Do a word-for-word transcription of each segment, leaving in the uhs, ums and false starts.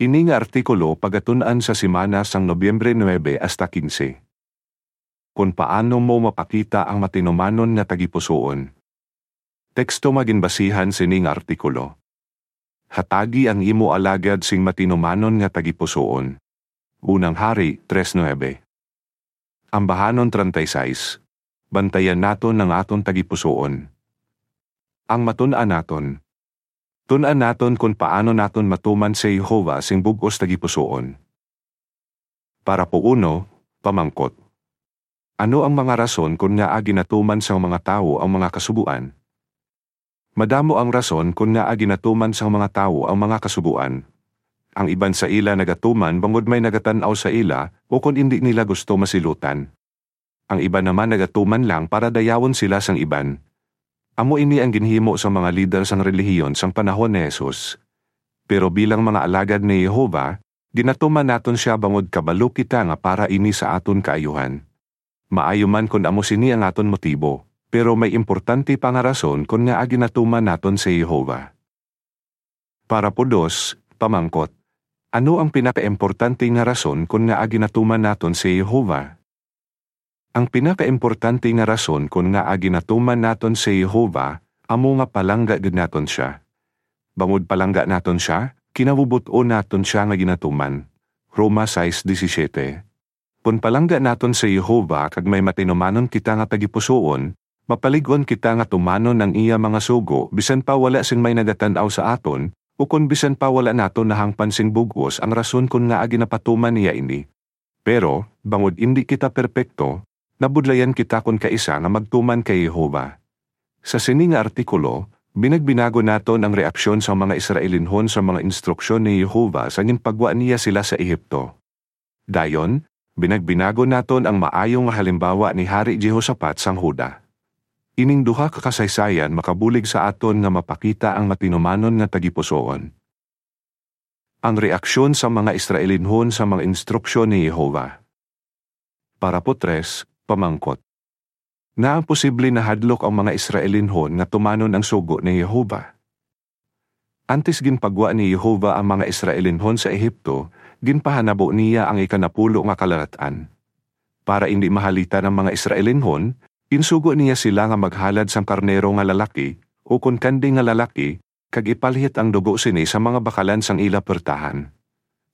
Ini nga artikulo pagatun-an sa semana sang Nobyembre nuebe hasta kinse. Kon paano mo mapakita ang matinumanon nga tagipusoon. Teksto nga ginbasihan sini nga artikulo. Hatagi ang imo alagad sing matinumanon nga tagipusoon. Unang Hari tres nuebe. Ambahanon treinta y seis. Bantayan naton ang aton tagipusoon. Ang matun-an naton. Tun-an naton kon paano naton matuman si Jehovah sing bug-os tagipusoon. Parapo uno, pamangkot. Ano ang mga rason kon ngaa ginatuman sang mga tawo ang mga kasugoan? Madamo ang rason kon ngaa ginatuman sang mga tawo ang mga kasugoan. Ang iban sa ila nagatuman bangod may nagatan-aw sa ila o kon indi nila gusto masilutan. Ang iban naman nagatuman lang para dayawon sila sang iban. Amo ini ang ginhimo sang mga lider sang relihiyon sang panahon ni Jesus. Pero bilang mga alagad ni Jehovah, ginatuman naton sia bangod kabalo kita nga para ini sa aton kaayuhan. Maayo man kon amo sini ang aton motibo, pero may importante pa nga rason kon ngaa ginatuman naton si Jehovah. Parapo dos, pamangkot. Ano ang pinakaimportante nga rason kon ngaa ginatuman naton si Jehovah? Ang pinakaimportante nga rason kon ngaa ginatuman naton si Jehovah amo nga palangga gid naton sia. Bangod palangga naton sia, kinabubot-on naton sia nga ginatuman. Roma sais disisiete. Kon palangga naton si Jehovah kag may matinumanon kita nga tagipusoon, mapalig-on kita nga tumanon ang iya mga sugo bisan pa wala sing may nagatan-aw sa aton, ukon bisan pa wala naton nahangpan sing bug-os ang rason kon ngaa ginapatuman niya ini. Pero, bangod indi kita perpekto, nabudlayan kita kon kaisa nga magtuman kay Jehovah. Sa sini nga artikulo, binagbinagon naton ang reaksyon sang mga Israelinhon sa mga instruksyon ni Jehovah sa ginpagwa niya sila sa Ehipto. Dayon, binagbinagon naton ang maayo nga halimbawa ni Hari Jehoshafat sang Juda. Ining duha ka kasaysayan makabulig sa aton nga mapakita ang matinumanon nga tagipusoon. Ang reaksyon sa mga Israelinhon sa mga instruksyon ni Jehovah. Parapo tres, pamangkot. Ngaa posible nahadlok ang mga Israelinhon nga tumanon ang sugo ni Jehovah? Antes ginpagwa ni Jehovah ang mga Israelinhon sa Ehipto, ginpahanabo niya ang ikanapulo nga kalalat-an. Para indi mahalitan ang mga Israelinhon, ginsugo niya sila nga maghalad sang karnero nga lalaki, ukon kanding nga lalaki, kag ipalhit ang dugo sini sa mga bakalan sang ila puwertahan.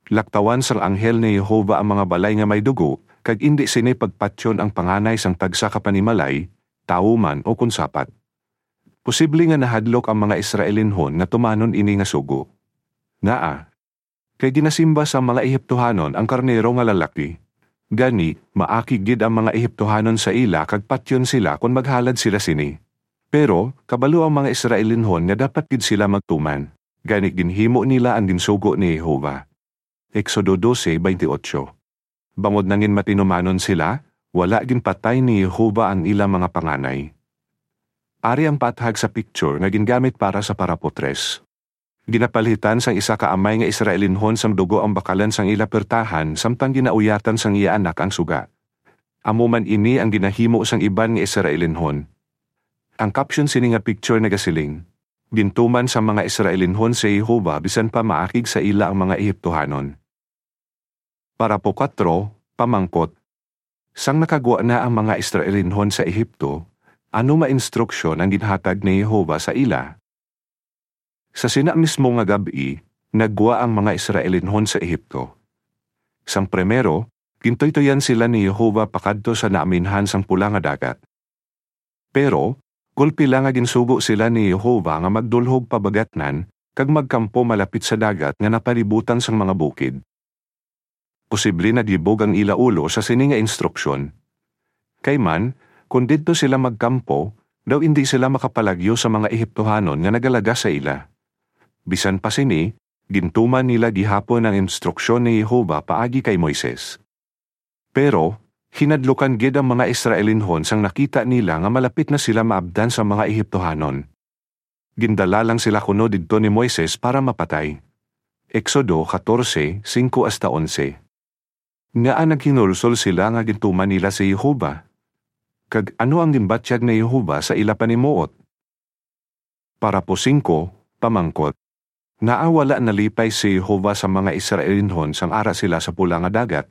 Laktawan sang anghel ni Jehovah ang mga balay nga may dugo, kag indi sini pagpatyon ang panganay sang tagsa ka panimalay, tawo man ukon sapat. Posible nga nahadlok ang mga Israelinhon nga tumanon ini nga sugo. Ngaa? Kay ginasimba sang mga Ehiptohanon ang karnero nga lalaki. Gani, maakig gid ang mga Ehiptohanon sa ila kag patyon sila kon maghalad sila sini. Pero, kabalo ang mga Israelinhon nga dapat gid sila magtuman. Gani ginhimo nila ang ginsugo ni Jehovah. Exodo dose veintiocho. Bangod nangin matinumanon sila, wala ginpatay ni Jehovah ang ila mga panganay. Ari ang paathag sa picture nga gingamit para sa parapo tres. Ginapalhitan sang isa ka amay nga Israelinhon sang dugo ang bakalan sang ila puwertahan samtang ginauyatan sang iya anak ang suga. Amo man ini ang ginahimo sang iban nga Israelinhon. Ang caption sini nga picture nagasiling, "Gintuman sang mga Israelinhon si Jehovah bisan pa maakig sa ila ang mga Ehiptohanon." Parapo kuwatro, pamangkot. Sang nakagwa na ang mga Israelinhon sa Ehipto, ano nga instruksyon ang ginhatag ni Jehovah sa ila? Sa sina mismo nga gab-i, naggwa ang mga Israelinhon sa Ehipto. Sang primero, gintuytoyan sila ni Jehovah pakadto sa naaminhan sang Pula nga Dagat. Pero, gulpi lang nga ginsugo sila ni Jehovah nga magdulhog pabagatnan kag magkampo malapit sa dagat nga napalibutan sang mga bukid. Posible nagibog ang ila ulo sa sini nga instruksyon. Kay man, kon didto sila magkampo, daw indi sila makapalagyo sa mga Ehiptohanon nga nagalaga sa ila. Bisan pa sini, gintuman nila gihapon ang instruksyon ni Jehovah paagi kay Moises. Pero, hinadlukan gid ang mga Israelinhon sang nakita nila nga malapit na sila maabdan sa mga Ehiptohanon. Gindala lang sila kuno didto ni Moises para mapatay. Exodo catorce, cinco hasta once. Ngaa naghinulsol sila nga gintuman nila si Jehovah? Kag ano ang ginbatyag ni Jehovah sa ila panimuot? Parapo singko, pamangkot. Ngaa wala nalipay si Jehovah sa mga Israelinhon sang ara sila sa Pula nga Dagat?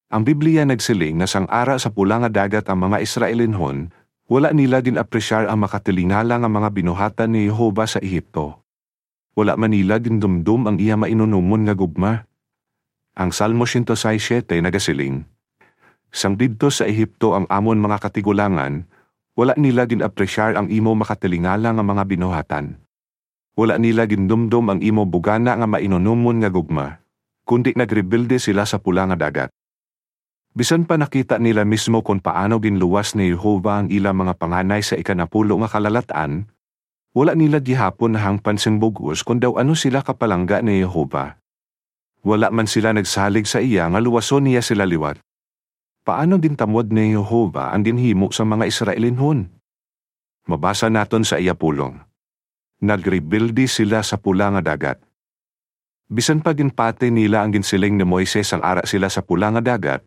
Ang Biblia nagsiling nga sang ara sa Pula nga Dagat ang mga Israelinhon, wala nila gin-apresyar ang makatilingala nga mga binuhatan ni Jehovah sa Ehipto. Wala man nila gindumdom ang iya mainunumon nga gugma. Ang Salmo siyento sais siete nagasiling, "Sang didto sa Ehipto ang amon mga katigulangan, wala nila gin-apresyar ang imo makatilingala nga mga binuhatan. Wala nila gindumdom ang imo bugana nga mainunumon nga gugma, kundi nagrebelde sila sa Pula nga Dagat." Bisan pa nakita nila mismo kon paano ginluwas ni Jehovah ang ila mga panganay sa ikanapulo nga kalalat-an, wala nila gihapon nahangpan sing bug-os kon daw ano sila kapalangga ni Jehovah. Wala man sila nagsalig sa iya nga luwason niya sila liwat. Paano gintamod ni Jehovah ang ginhimo sa mga Israelinhon? Mabasa naton sa iya pulong, "Nagrebelde sila sa Pula nga Dagat." Bisan pa ginpati nila ang ginsiling ni Moises ang ara sila sa Pula nga Dagat,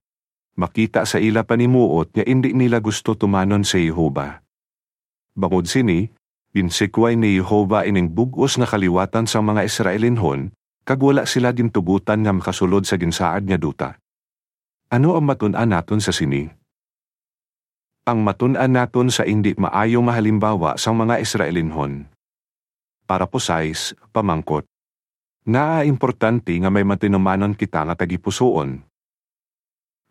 makita sa ila panimuot nga indi nila gusto tumanon si Jehovah. Bangod sini, ginsikway ni Jehovah ining bug-os nga kaliwatan sang mga Israelinhon, kag wala sila gintugotan nga makasulod sa ginsaad nga duta. Ano ang matun-an naton sa sini? Ang matun-an naton sa indi maayo nga halimbawa sang mga Israelinhon. Parapo sais, pamangkot, ngaa importante nga may matinumanon kita nga tagipusoon?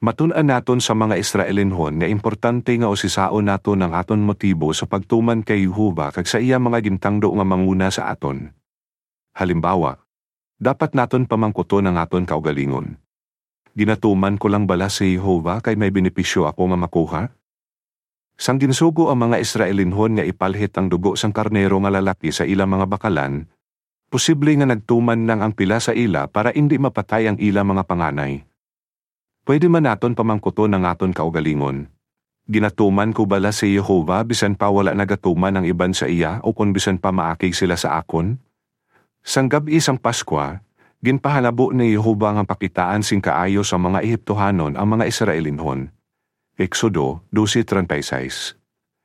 Matun-an naton sa mga Israelinhon nga importante nga usisaon naton ang aton motibo sa pagtuman kay Jehovah kag sa iya mga gintangdo nga manguna sa aton. Halimbawa, dapat naton pamangkuton ang aton kaugalingon, "Ginatuman ko lang bala si Jehovah kay may benepisyo ako nga makuha?" Sang ginsugo ang mga Israelinhon nga ipalhit ang dugo sang karnero nga lalaki sa ila mga bakalan, posible nga nagtuman lang ang pila sa ila para indi mapatay ang ila mga panganay. Pwede man naton pamangkuton ang aton kaugalingon, "Ginatuman ko bala si Jehovah bisan pa wala nagatuman ang iban sa iya, o kon bisan pa maakig sila sa akon?" Sang gab-i sang Paskwa, ginpahanabo ni Jehovah nga pakitaan sing kaayo sa mga Ehiptohanon ang mga Israelinhon. Exodo doce treinta y seis.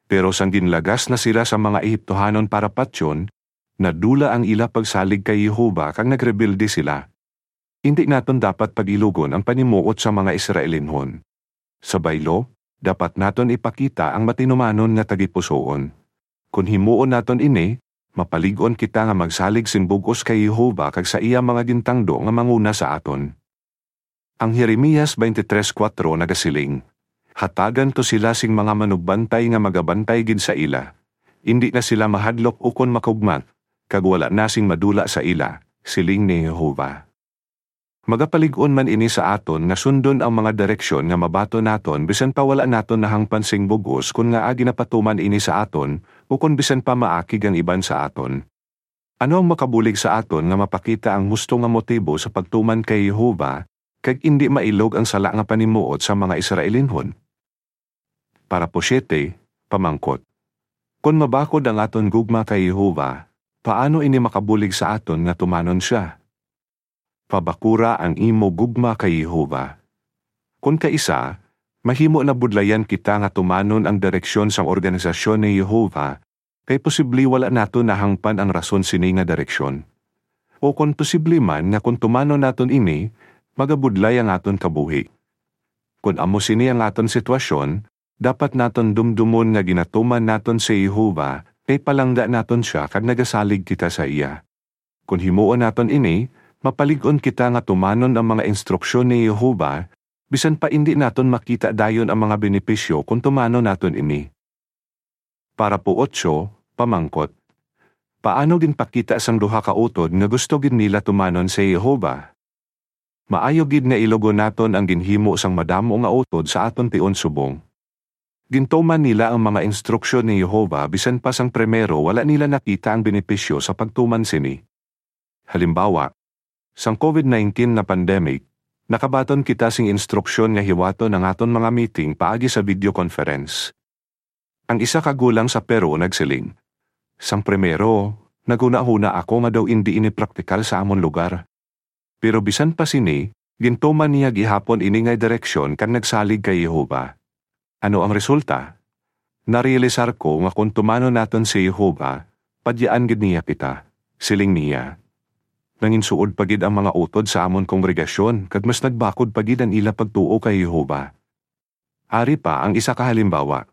Pero sang ginlagas na sila sa mga Ehiptohanon para patyon, nadula ang ila pagsalig kay Jehovah kag nagrebelde sila. Indi naton dapat pag-ilogon ang panimuot sa mga Israelinhon. Sa baylo, dapat naton ipakita ang matinumanon nga tagipusoon. Kon himuon naton ini, mapalig-on kita nga magsalig sing bug-os kay Jehovah kag sa iya mga gintangdo nga manguna sa aton. Ang Jeremias twenty-three cuatro nagasiling, "Hatagan ko sila sing mga manugbantay nga magabantay gid sa ila. Indi na sila mahadlok ukon makugmat, kag wala na sing madula sa ila," siling ni Jehovah. Magapalig-on man ini sa aton nga sundon ang mga direksyon nga mabaton naton bisan pa wala naton nahangpan sing bug-os kon ngaa ginapatuman ini sa aton, ukon bisan pa maakig ang iban sa aton. Ano ang makabulig sa aton nga mapakita ang husto nga motibo sa pagtuman kay Jehovah, kag indi mailog ang sala nga panimuot sa mga Israelinhon? Parapo siete, pamangkot, kon mabakod ang aton gugma kay Jehovah, paano ini makabulig sa aton nga tumanon sia? Pabakura ang imo gugma kay Jehovah. Kon kaisa, mahimo na budlayan kita nga tumanon ang direksyon sang organisasyon ni Jehovah, kay posible wala naton nahangpan ang rason sini nga direksyon. O kon posible man nga kon tumanon naton ini, magabudlay ang aton kabuhi. Kon amo sini ang aton sitwasyon, dapat naton dumdumon nga ginatuman naton si Jehovah, kay palangga naton sia kag nagasalig kita sa iya. Kon himuon naton ini, mapalig-on kita nga tumanon ang mga instruksyon ni Jehovah, bisan pa indi naton makita dayon ang mga benepisyo kon tumanon naton ini. Parapo ocho, pamangkot, paano ginpakita sang duha ka utod nga gusto gid nila tumanon si Jehovah? Maayo gid nga ilogon naton ang ginhimo sang madamo nga utod sa aton tion subong. Gintuman nila ang mga instruksyon ni Jehovah bisan pa sang primero wala nila nakita ang benepisyo sa pagtuman sini. Halimbawa, sang covid nineteen nga pandemic, nakabaton kita sing instruksyon nga hiwaton ang aton mga meeting paagi sa video conference. Ang isa ka gulang sa Peru nagsiling, "Sang primero, naghunahuna ako nga daw indi ini praktikal sa amon lugar. Pero bisan pa sini, gintuman niya gihapon ini nga direksyon kag nagsalig kay Jehovah." Ano ang resulta? Narealisar ko nga kon tumanon naton si Jehovah, padyaan gid niya kita. Siling niya, "Nanginsuod pa gid ang mga utod sa amon kongregasyon, kag mas nagbakod pa gid ang ila pagtuo kay Jehovah." Ari pa ang isa ka halimbawa.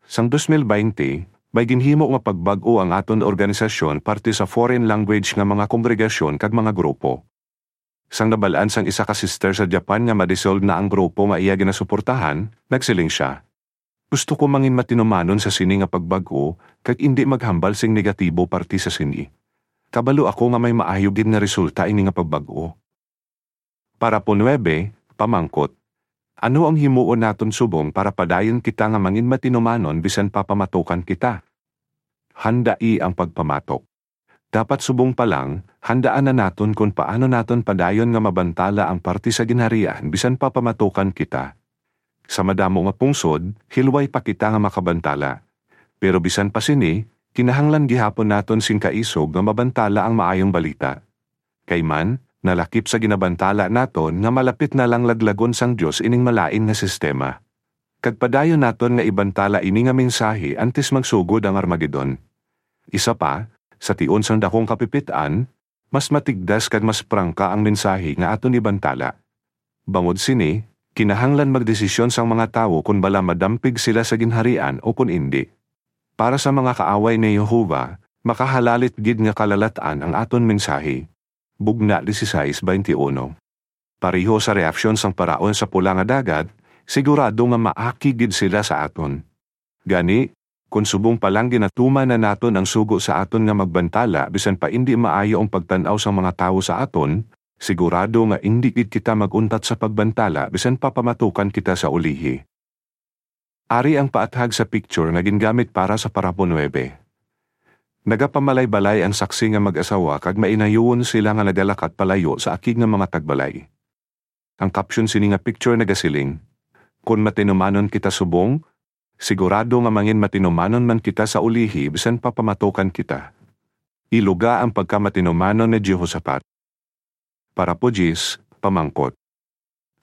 Sang dos mil baynte, may ginhimo nga pagbag-o ang aton organisasyon parte sa foreign language nga mga kongregasyon kag mga grupo. Sang nabal-an sang isa ka sister sa Japan nga ma-dissolve na ang grupo nga iya ginasuportahan, nagsiling sia, "Gusto ko mangin matinumanon sa sini nga pagbag-o, kag indi maghambal sing negatibo parte sa sini. Kabalo ako nga may maayo gid nga resulta ini nga pagbag-o." Parapo nuebe, pamangkot, "Ano ang himuon naton subong para padayon kita nga mangin matinumanon bisan pa pamatukan kita?" Handai ang pagpamatok. Dapat subong pa lang, handaan na naton kon paano naton padayon nga mabantala ang parte sa Ginharian bisan pa pamatukan kita. Sa madamo nga pungsod, hilway pa kita nga makabantala. Pero bisan pa sini, kinahanglan gihapon naton sing kaisog nga mabantala ang Maayong Balita. Kay man, nalakip sa ginabantala naton nga malapit na lang laglagon sang Dios ining malain nga sistema. Kag padayon naton nga ibantala ini nga mensahe antes magsugod ang Armagedon. Isa pa, sa tion sang dakong kapipit-an, mas matigdas kag mas prangka ang mensahe nga aton ibantala. Bangod sini, kinahanglan magdesisyon sang mga tawo kon bala madampig sila sa Ginharian o kon indi. Para sa mga kaaway ni Jehovah, makahalalit gid nga kalalat-an ang aton mensahe. Bugna dieciséis veintiuno. Pareho sa reaksyon sang paraon sa Pula nga Dagat, sigurado nga maakig gid sila sa aton. Gani, kon subong pa lang ginatuman na naton ang sugo sa aton nga magbantala bisan pa indi maayo ang pagtan-aw sang mga tawo sa aton, sigurado nga indi gid kita mag-untat sa pagbantala bisan pa pamatukan kita sa ulihi. Ari ang paathag sa picture nga gingamit para sa parapo nuebe. Nagapamalaybalay ang saksi nga mag-asawa kag mainayuon sila nga nagalakat palayo sa akig nga mga tagbalay. Ang caption sini nga picture nagasiling, "Kon matinumanon kita subong, sigurado nga mangin matinumanon man kita sa ulihi bisan pa pamatukan kita." Iluga ang pagkamatinumanon ni Jehoshaphat. Parapo diyes, pamangkot,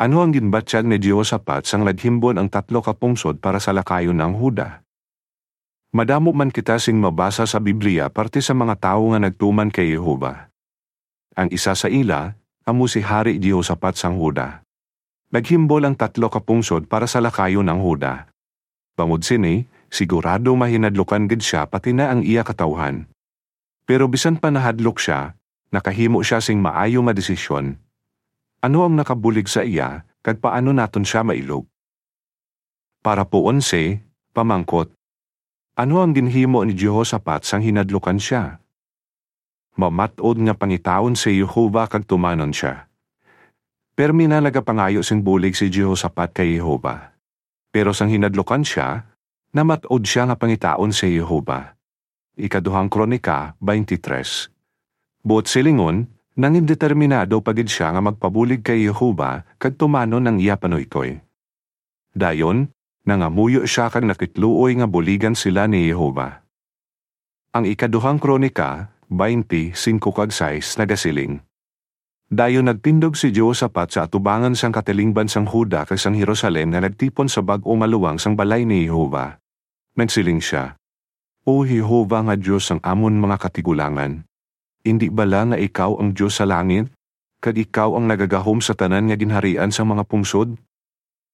"Ano ang ginbatyag ni Jehoshaphat sang naghimbon ang tatlo ka pungsod para sa lakayon ang Huda?" Madamo man kita sing mabasa sa Biblia parte sa mga tawo nga nagtuman kay Jehovah. Ang isa sa ila amo si Hari Jehoshaphat sang Huda. Naghimbol ang tatlo ka pungsod para sa lakayon ang Huda. Bangod sini, sigurado mahinadlukan gid sia pati na ang iya katawuhan. Pero bisan pa nahadlok sia, nakahimo sia sing maayo nga desisyon. Ano ang nakabulig sa iya, kag paano naton sia mailog? Parapo onse, pamangkot, ano ang ginhimo ni Jehoshaphat sang hinadlukan sia? Mamat-od nga pangitaon si Jehovah kag tumanon sia. Permi na nagapangayo sing bulig si Jehoshaphat kay Jehovah. Pero sang hinadlukan sia, namat-od sia nga pangitaon si Jehovah. Ikaduhang Kronika twenty-three. Buot silingon, nangin determinado pa gid sia nga magpabulig kay Jehovah kag tumanon ang iya panuytoy. Dayon, nangamuyo sia kag nakitluoy nga buligan sila ni Jehovah. Ang Ikaduhang Kronika twenty-five kag sais nagasiling, dayon nagtindog si Jehoshaphat sa atubangan sang katilingban sang Juda kag sang Jerusalem nga nagtipon sa bag-o nga luwang sang balay ni Jehovah. Nagsiling sia, "O Jehovah nga Dios sang amon mga katigulangan, indi bala nga ikaw ang Dios sa langit, kag ikaw ang nagagahom sa tanan nga ginharian sang mga pungsod?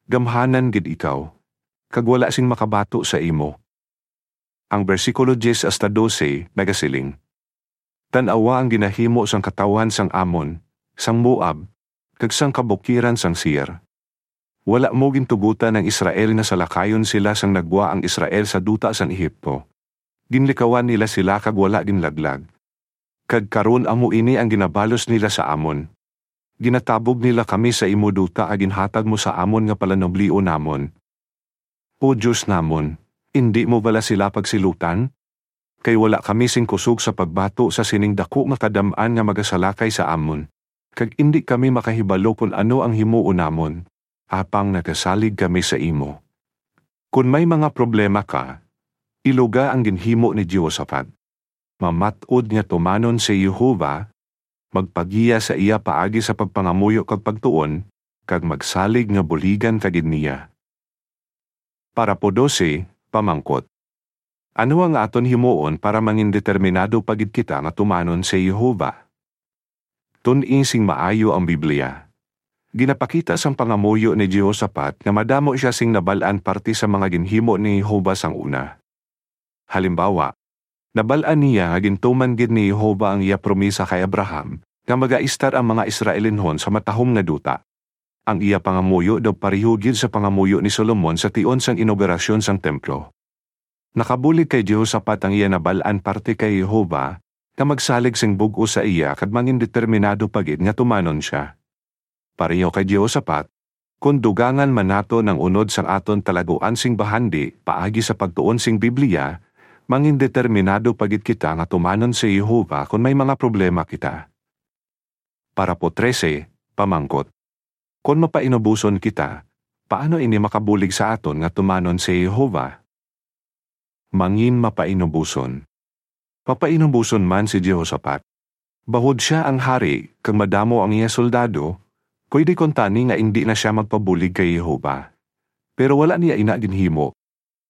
Gamhanan gid ikaw, kag wala sing makabato sa imo." Ang bersikulo diyes hasta dose nagasiling, "Tan-awa ang ginahimo sang katawuhan sang Amon, sang Moab, kag sang kabukiran sang Seir. Wala mo gintugotan ang Israel nga salakayon sila sang naggwa ang Israel sa duta sang Egipto. Ginlikawan nila sila kag wala ginlaglag. Kag karon amo ini ang ginabalos nila sa amon. Ginatabog nila kami sa imo duta nga ginhatag mo sa amon nga palanublion namon. O Dios namon, indi mo bala sila pagsilutan? Kay wala kami sing kusog sa pagbato sa sining daku nga kadam-an nga magasalakay sa amon, kag indi kami makahibalo kon ano ang himuon namon, apang nagasalig kami sa imo. Kon may mga problema ka, iluga ang ginhimo ni Jehoshaphat. Mamat-od nga tumanon si Jehovah, magpagiya sa iya paagi sa pagpangamuyo kag pagtuon, kag magsalig nga buligan ka gid niya. Parapo dose, pamangkot, Ano ang aton himuon para mangindeterminado pa gid kita nga tumanon si Jehovah? Tun-i sing maayo ang Biblia. Ginapakita sang pangamuyo ni Jehoshaphat nga madamo sia sing nabal-an parte sa mga ginhimo ni Jehovah sang una. Halimbawa, nabal-an niya nga gintuman gid ni Jehovah ang iya promisa kay Abraham, nga magaistar ang mga Israelinhon sa matahom nga duta. Ang iya pangamuyo daw pareho gid sa pangamuyo ni Solomon sa tion sang inaugurasyon sang templo. Nakabulig kay Jehoshaphat ang iya nabal-an parte kay Jehovah, nga magsalig sing bug-os sa iya kag mangindeterminado pa gid nga tumanon sia. Pareho kay Jehoshaphat, kon dugangan man naton ang unod sang aton talaguan sing bahandi paagi sa pagtuon sing Biblia, mangindeterminado pa gid kita nga tumanon si Jehovah kon may mga problema kita. Parapo trese, pamangkot. Kon mapainuboson kita, paano ini makabulig sa aton nga tumanon si Jehovah? Mangin mapainuboson. Mapainuboson man si Jehoshaphat. Bahod sia ang hari, kag madamo ang iya soldado, pwede kuntani nga indi na sia magpabulig kay Jehovah. Pero wala niya ina ginhimo.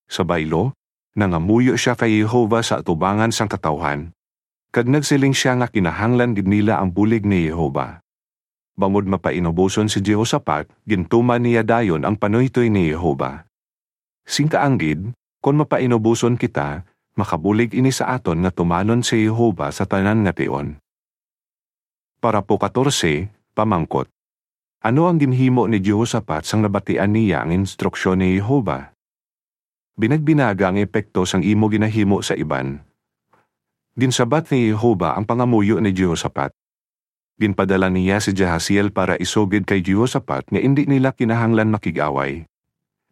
Sa baylo, nangamuyo sia kay Jehovah sa atubangan sang katawuhan, kag nagsiling sia nga kinahanglan gid nila ang bulig ni Jehovah. Bangod mapainuboson si Jehoshaphat, gintuman niya dayon ang panuytoy ni Jehovah. Sing kaanggid, kon mapainuboson kita, makabulig ini sa aton nga tumanon si Jehovah sa tanan nga tion. Parapo katorse, pamangkot. Ano ang ginhimo ni Jehoshaphat sang nabatian niya ang instruksyon ni Jehovah? Binagbinaga ang epekto sang imo ginahimo sa iban. Ginsabat ni Jehovah ang pangamuyo ni Jehoshaphat. Ginpadala niya si Jahaziel para isugid kay Jehoshaphat nga indi nila kinahanglan makig-away.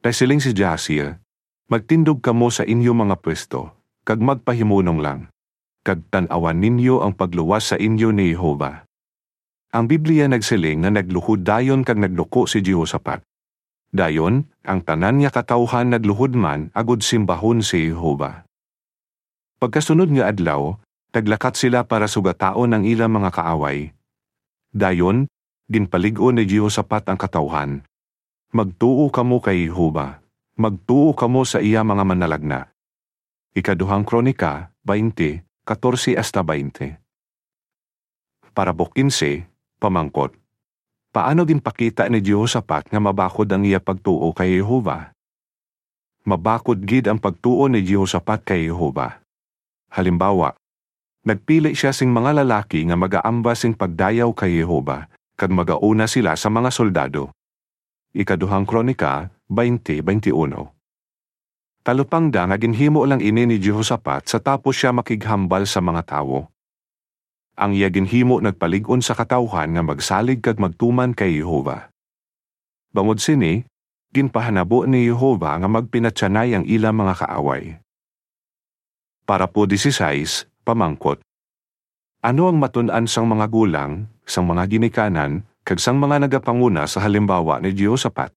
Kay siling si Jahaziel, "Magtindog kamo sa inyo mga pwesto, kag magpahimunong lang, kag tan-awan ninyo ang pagluwas sa inyo ni Jehovah." Ang Biblia nagsiling nga nagluhod dayon kag nagduko si Jehoshaphat. Dayon, ang tanan nga katawuhan nagluhod man agod simbahon si Jehovah. Pagkasunod nga adlaw, naglakat sila para sugataon ang ila mga kaaway. Dayon, ginpalig-on ni Jehoshaphat ang katawuhan, "Magtuo kamo kay Jehovah, magtuo kamo sa iya mga manalagna." Ikaduhang Kronika, twenty, katorse hasta twenty. Parapo kinse, pamangkot. Paano ginpakita ni Jehoshaphat nga mabakod ang iya pagtuo kay Jehovah? Mabakod gid ang pagtuo ni Jehoshaphat kay Jehovah. Halimbawa, nagpili sia sing mga lalaki nga magaambas sing pagdayaw kay Jehovah, kag magauna sila sa mga soldado. Ikaduhang Kronika, twenty, twenty-one. Talupangda nga ginhimo lang ini ni Jehoshaphat sa tapos sia makighambal sa mga tawo. Ang iya ginhimo nagpalig-on sa katawuhan nga magsalig kag magtuman kay Jehovah. Bangod sini, ginpahanabo ni Jehovah nga magpinatyanay ang ila mga kaaway. Parapo dieciséis, pamangkot. Ano ang matun-an sang mga gulang, sang mga ginikanan, kag sang mga nagapanguna sa halimbawa ni Jehoshaphat?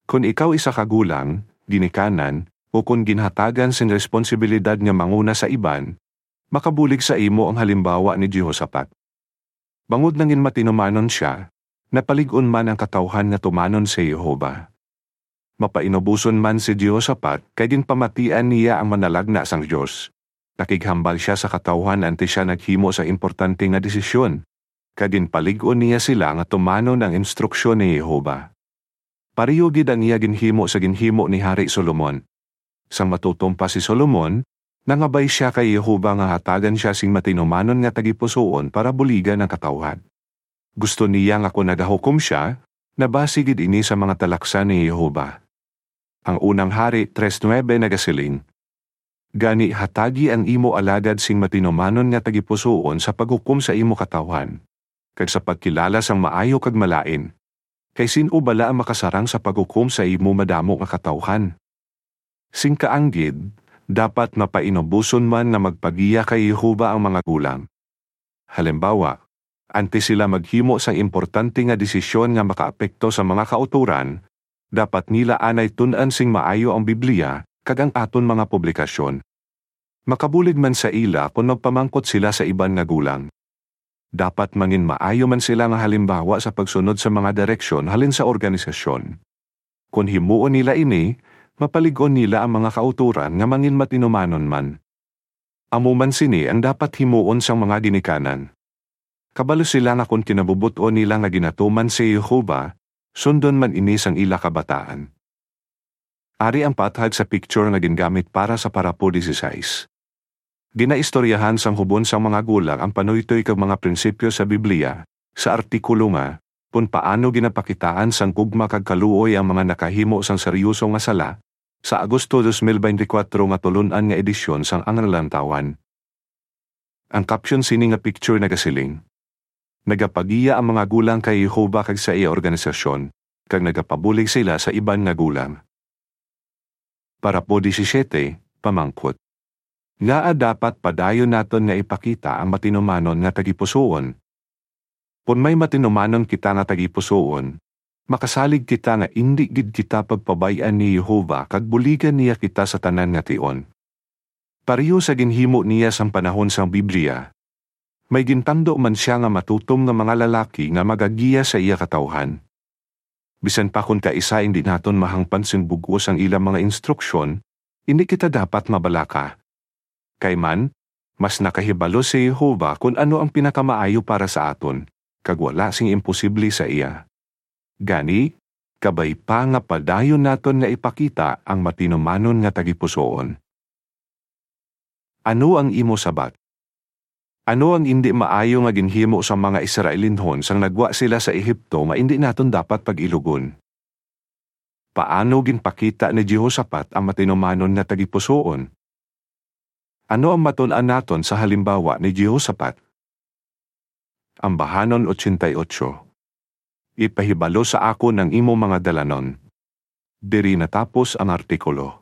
Kon ikaw isa ka gulang, ginikanan, ukon ginhatagan sing responsibilidad nga manguna sa iban, makabulig sa imo ang halimbawa ni Jehoshaphat. Bangod nangin matinumanon sia, napalig-on man ang katawuhan nga tumanon si Jehovah. Mapainuboson man si Jehoshaphat kay ginpamatian niya ang manalagna sang Dios. Nakighambal sia sa katawuhan antes sia naghimo sa importante nga desisyon, kag ginpalig-on niya sila nga tumanon ang instruksyon ni Jehovah. Pareho gid ang iya ginhimo sa ginhimo ni Hari Solomon. Sang matutom pa si Solomon, nangabay sia kay Jehovah nga hatagan sia sing matinumanon nga tagipusoon para buligan ang katawuhan. Gusto niya nga kon nagahukom sia, nabasi gid ini sa mga talaksan ni Jehovah. Ang unang Hari tres nuebe nagasiling, "Gani hatagi ang imo alagad sing matinumanon nga tagipusoon sa paghukom sa imo katawuhan, kag sa pagkilala sang maayo kag malain. Kay sin-o bala ang makasarang sa paghukom sa imo madamo nga katawuhan?" Sing kaanggid, dapat mapainuboson man nga magpagiya kay Jehovah ang mga gulang. Halimbawa, antes sila maghimo sang importante nga desisyon nga makaapekto sa mga kautoran, dapat nila anay tun-an sing maayo ang Biblia kag ang aton mga publikasyon. Makabulig man sa ila kon magpamangkot sila sa iban nga gulang. Dapat manginmaayo man sila nga halimbawa sa pagsunod sa mga direksyon halin sa organisasyon. Kon himuon nila ini, mapalig-on nila ang mga kautoran nga manginmatinumanon man. Amo man sini ang dapat himuon sang mga ginikanan. Kabalo sila nga kon kinabubot-on nila nga ginatuman si Jehovah, sundon man ini sang ila kabataan. Ari ang pathag sa picture nga gingamit para sa parapo dieciséis. Ginaistoryahan sang hubon sang mga gulang ang panuytoy kag mga prinsipyo sa Biblia, sa artikulo nga, Kon Paano Ginapakitaan sang Gugma kag Kaluoy ang mga Nakahimo sang Seryoso nga Sala, sa Agosto dos mil beintikwatro nga tulon-an nga edisyon sang Ang Lantawon. Ang caption sini nga picture nagasiling, "Nagapagiya ang mga gulang kay Jehovah kag sa iya organisasyon, kag nagapabulig sila sa iban nga gulang." Parapo disisiete, pamangkot. Ngaa dapat padayon naton nga ipakita ang matinumanon nga tagipusoon? Kon may matinumanon kita nga tagipusoon, makasalig kita nga indi gid kita pagpabay-an ni Jehovah kag buligan niya kita sa tanan nga tion. Pareho sa ginhimo niya sang panahon sang Biblia, may gintando man sia nga matutom nga mga lalaki nga magagiya sa iya katawuhan. Bisan pa kon kaisa indi naton mahangpan sing bug-os ang ila mga instruksyon, indi kita dapat mabalaka. Kay man, mas nakahibalo si Jehovah kon ano ang pinakamaayo para sa aton, kag wala sing imposible sa iya. Gani, kabay pa nga padayon naton nga ipakita ang matinumanon nga tagipusoon. Ano ang imo sabat? Ano ang indi maayo nga ginhimo sang mga Israelinhon sang nagwa sila sa Egipto nga indi naton dapat pag-ilugon? Paano ginpakita ni Jehoshafat ang matinumanon nga tagipusoon? Ano ang matun-an naton sa halimbawa ni Jehoshafat? Ambahanon ochenta y ocho. Ipahibalo sa akon ang imo mga dalanon. Diri natapos ang artikulo.